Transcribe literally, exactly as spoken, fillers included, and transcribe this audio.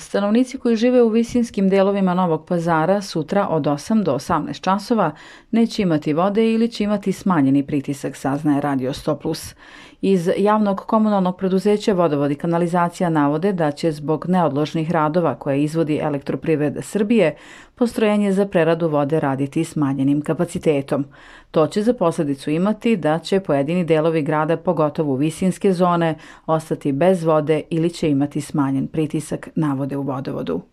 stanovnici koji žive u visinskim delovima Novog Pazara sutra od osam do osamnaest časova neće imati vode ili će imati smanjeni pritisak, saznaje Radio sto plus. Iz javnog komunalnog preduzeća Vodovod i kanalizacija navode da će zbog neodložnih radova koje izvodi Elektroprivreda Srbije postrojenje za preradu vode raditi smanjenim kapacitetom. To će za posledicu imati da će pojedini delovi grada, pogotovo visinske zone, ostati bez vode ili će imati smanjen pritisak, navode u Vodovodu.